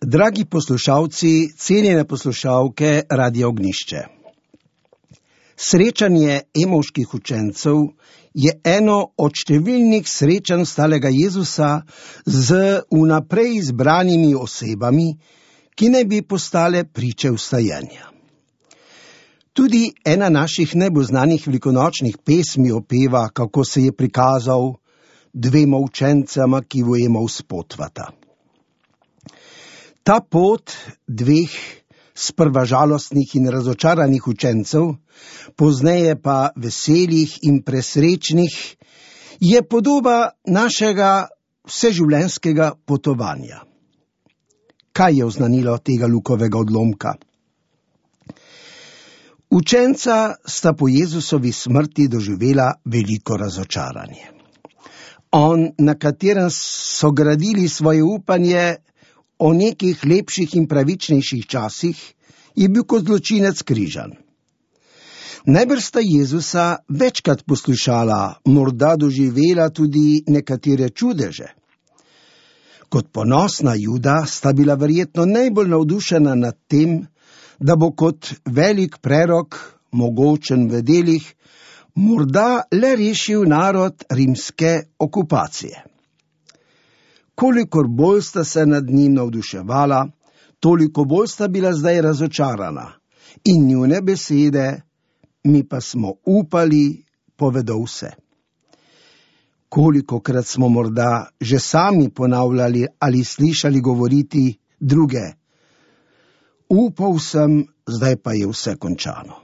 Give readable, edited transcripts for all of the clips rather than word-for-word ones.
Dragi poslušalci, cenjene poslušalke Radia Ognjišče. Srečanje emovških učencev je eno od številnih srečanj stalega Jezusa z vnaprej izbranimi osebami, ki naj bi postale priče vstajenja. Tudi ena naših najbolj znanih velikonočnih pesmi opeva, kako se je prikazal dvema učencema, ki v Emov spotvata. Ta pot dveh sprva žalostnih in razočaranih učencev, pozneje pa veselih in presrečnih, je podoba našega vseživljenjskega potovanja. Kaj je oznanilo tega Lukovega odlomka? Učenca sta po Jezusovi smrti doživela veliko razočaranje. On, na katerem so gradili svoje upanje o nekih lepših in pravičnejših časih, je bil kot zločinec križan. Najbrž sta Jezusa večkrat poslušala, morda doživela tudi nekatere čudeže. Kot ponosna Juda sta bila verjetno najbolj navdušena nad tem, da bo kot velik prerok, mogočen v delih, morda le rešil narod rimske okupacije. Kolikor bolj sta se nad njim navduševala, toliko bolj sta bila zdaj razočarana in njune besede, mi pa smo upali, povedo vse. Kolikokrat smo morda že sami ponavljali ali slišali govoriti druge, upal sem, zdaj pa je vse končano.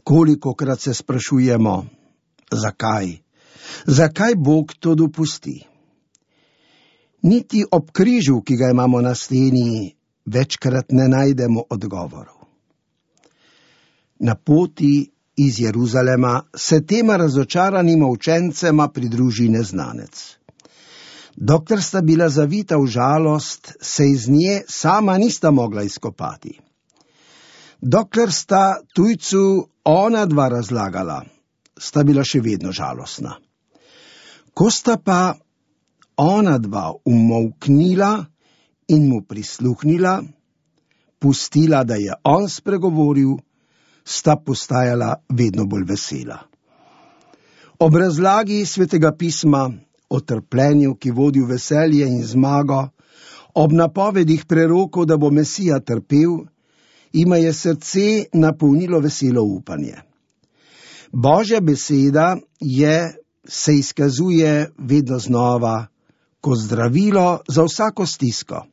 Kolikokrat se sprašujemo, zakaj? Zakaj Bog to dopusti? Niti ob križu, ki ga imamo na steni, večkrat ne najdemo odgovorov. Na poti iz Jeruzalema se tema razočaranima učencema pridruži neznanec. Dokler sta bila zavita v žalost, se iz nje sama nista mogla izkopati. Dokler sta tujcu ona dva razlagala, sta bila še vedno žalostna. Ko sta pa ona dva umolknila in mu prisluhnila, pustila, da je on spregovoril, sta postajala vedno bolj vesela. Ob razlagi Svetega pisma o trpljenju, ki vodi v veselje in zmago, ob napovedih prerokov, da bo Mesija trpel, ima je srce napolnilo veselo upanje. Božja beseda se izkazuje vedno znova kot zdravilo za vsako stisko,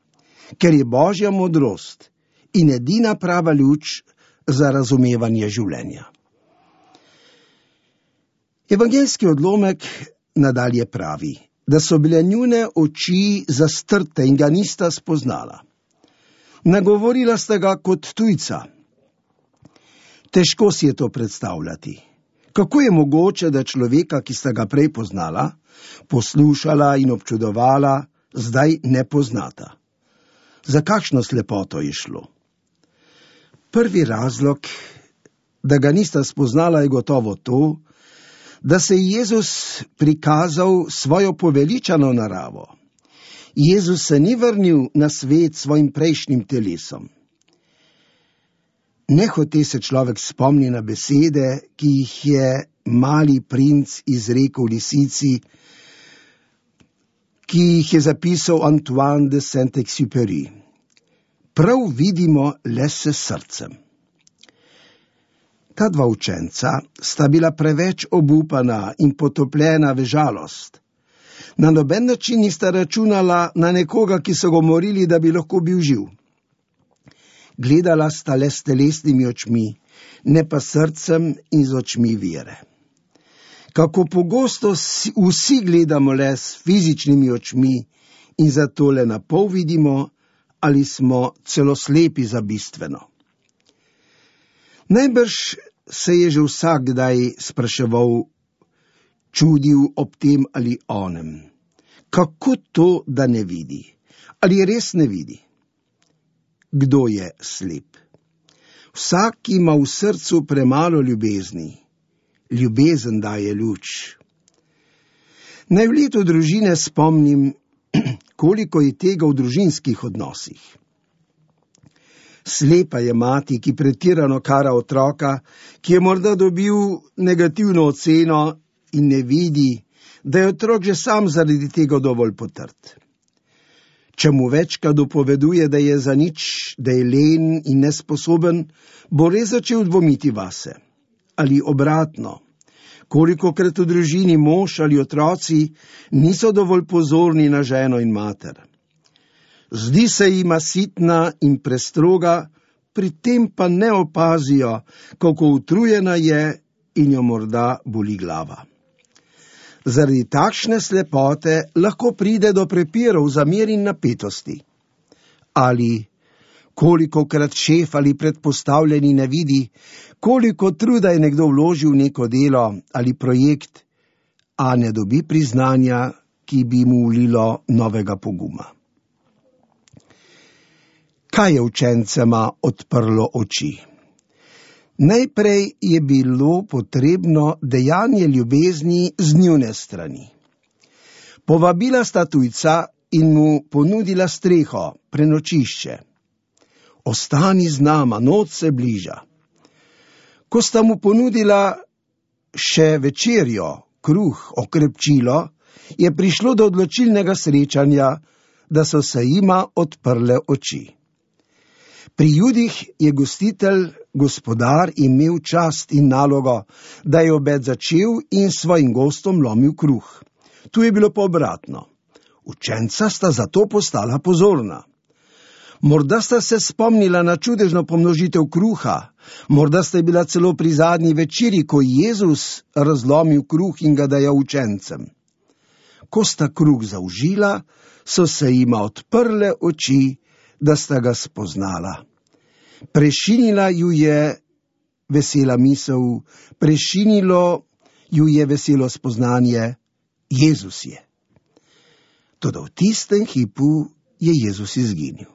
ker je Božja modrost in edina prava luč za razumevanje življenja. Evangeljski odlomek nadalje pravi, da so bile njune oči zastrte in ga nista spoznala. Nagovorila sta ga kot tujca. Težko si je to predstavljati. Kako je mogoče, da človeka, ki sta ga prej poznala, poslušala in občudovala, zdaj ne poznata? Za kakšno slepoto je šlo? Prvi razlog, da ga nista spoznala, je gotovo to, da se je Jezus prikazal svojo poveličano naravo. Jezus se ni vrnil na svet svojim prejšnjim telesom. Nehote se človek spomni na besede, ki jih je mali princ izrekel lisici, ki jih je zapisal Antoine de Saint-Exupéry. Prav vidimo le s srcem. Ta dva učenca sta bila preveč obupana in potopljena v žalost. Na noben način nista računala na nekoga, ki so ga morili, da bi lahko bil živ. Gledala sta le s telesnimi očmi, ne pa srcem in z očmi vere. Kako pogosto vsi gledamo le s fizičnimi očmi in zato le na pol vidimo, ali smo celo slepi za bistveno. Najbrž se je že vsak kdaj spraševal, čudil ob tem ali onem. Kako to, da ne vidi? Ali res ne vidi? Kdo je slep? Vsak ima v srcu premalo ljubezni. Ljubezen daje luč. Naj v letu družine spomnim, koliko je tega v družinskih odnosih. Slepa je mati, ki pretirano kara otroka, ki je morda dobil negativno oceno in ne vidi, da je otrok že sam zaradi tega dovolj potrt. Če mu večkrat dopoveduje, da je za nič, da je len in nesposoben, bo res začel dvomiti vase. Ali obratno, kolikokrat v družini mož ali otroci niso dovolj pozorni na ženo in mater. Zdi se jima sitna in prestroga, pri tem pa ne opazijo, kako utrujena je in jo morda boli glava. Zaradi takšne slepote lahko pride do prepirov, zamer in napetosti. Ali kolikokrat šef ali predpostavljeni ne vidi, koliko truda je nekdo vložil v neko delo ali projekt, a ne dobi priznanja, ki bi mu vlilo novega poguma. Kaj je učencema odprlo oči? Najprej je bilo potrebno dejanje ljubezni z njune strani. Povabila sta tujca in mu ponudila streho, prenočišče. Ostani z nama, noč se bliža. Ko sta mu ponudila še večerjo, kruh, okrepčilo, je prišlo do odločilnega srečanja, da so se jima odprle oči. Pri Judih je gostitelj, gospodar, imel čast in nalogo, da je obed začel in svojim gostom lomil kruh. Tu je bilo pa obratno. Učenca sta zato postala pozorna. Morda sta se spomnila na čudežno pomnožitev kruha, morda sta bila celo pri zadnji večeri, ko Jezus razlomil kruh in ga dajal učencem. Ko sta kruh zaužila, so se jima odprle oči, da sta ga spoznala. Prešinila ju je vesela misel, prešinilo ju je veselo spoznanje, Jezus je. Toda v tistem hipu je Jezus izginil.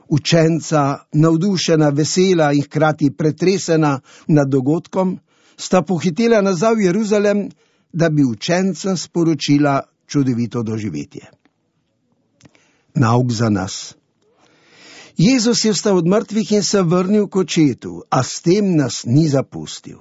Učenca, navdušena, vesela in hkrati pretresena nad dogodkom, sta pohitela nazaj v Jeruzalem, da bi učencem sporočila čudovito doživetje. Nauk za nas. Jezus je vstal od mrtvih in se vrnil k očetu, a s tem nas ni zapustil.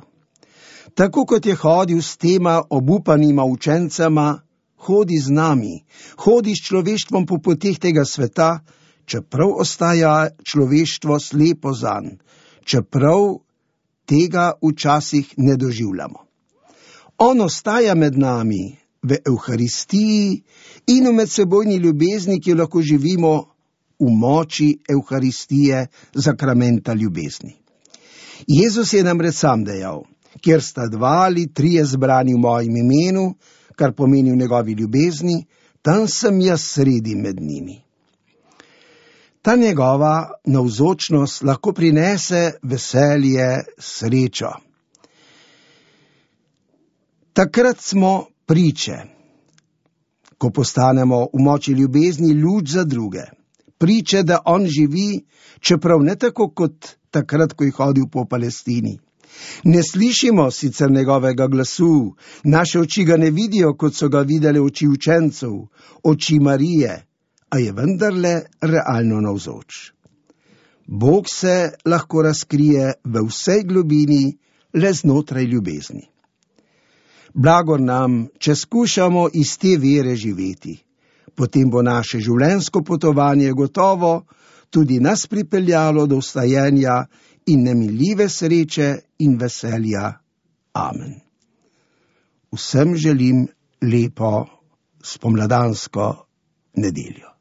Tako kot je hodil s tema obupanima učencema, hodi z nami, hodi s človeštvom po poteh tega sveta, čeprav ostaja človeštvo slepo zanj, čeprav tega včasih ne doživljamo. On ostaja med nami v Evharistiji in v medsebojni ljubezni, ki jo lahko živimo v moči Evharistije, zakramenta ljubezni. Jezus je namreč sam dejal, kjer sta 2 ali 3 zbrani v mojem imenu, kar pomeni v njegovi ljubezni, tam sem jaz sredi med njimi. Ta njegova navzočnost lahko prinese veselje, srečo. Takrat smo priče, ko postanemo v moči ljubezni luč za druge. Priče, da on živi, čeprav ne tako kot takrat, ko je hodil po Palestini. Ne slišimo sicer njegovega glasu, naše oči ga ne vidijo, kot so ga videli oči učencev, oči Marije, a je vendarle realno navzoč. Bog se lahko razkrije v vsej globini, le znotraj ljubezni. Blagor nam, če skušamo iz te vere živeti. Potem bo naše življenjsko potovanje gotovo tudi nas pripeljalo do vstajenja in nemiljive sreče in veselja. Amen. Vsem želim lepo spomladansko nedeljo.